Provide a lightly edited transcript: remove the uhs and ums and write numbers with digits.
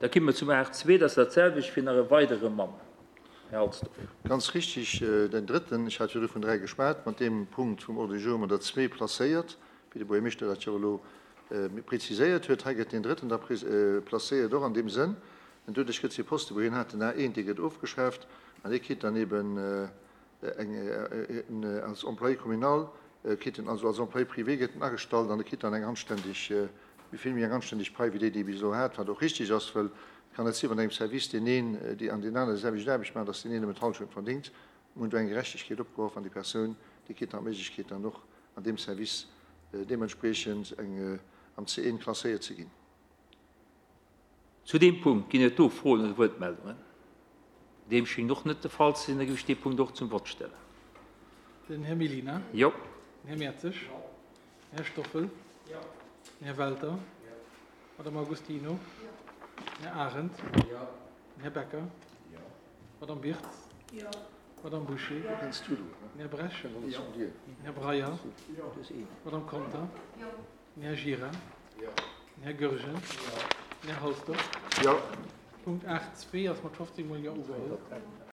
Da kimme mer zum 8.2, dat ass dat selwecht fir nach e weidere Mann. Här Halsdorf. Ganz richtig, den drëtten, ech hat virdru vun dräi geschwat, mat deem Punkt vum Ordre du jour hu mer der zwee placéiert, wéi de Buergermeeschter dat jo elo preziséiert huet. Hei gëtt deen drëtten da placéiert, och an deem Sënn. En doduerch gëtt dee Poste, wou hien hat, den A1, dee gëtt ofgeschaaft an dee kritt dann eben eng, als Employé communal kritt en, also als Employé privé gëtt en agestallt an e kritt dann eng anständeg, vill méi eng anständeg Pai wéi déi, déi e bis elo hat, wat och richtig ass, well et kann net sinn, wann engem Service deen een déi an deen anere déi selwecht Aarbecht maachen, datt deen een nëmmen d'Hallschent verdéngt. Mir hunn do eng Gerechtegkeet opgeworf an déi Persoun, déi kritt dann d'Méiglechkeet dann och an deem Service deementspriechend eng am C1 klasséiert ze ginn. Zu deem Punkt ginn et do Froen oder Wuertmeldungen? Deem schéngt och net de Fall ze sinn. Da géif ech dee Punkt och zum Vott stellen. Den Här Mellina. Jo. Den Här Mertzig. Jo. Den Här Stoffel. Jo. Den Här Welter. Jo. D'Madame Agostino. Jo. Den Här Arendt. Jo. Den Här Becker. Jo. D'Madame Birtz. Jo. D'Madame Bouché. Den Här Bresch. Jo. Den Här Breyer. Jo. D'Madame Conter. Jo. Den Här Gira. Jo. Den Här Goergen. Jo. Den Här Halsdorf. Jo. Punkt 8.2 ass mat 15 mol Jo ugeholl.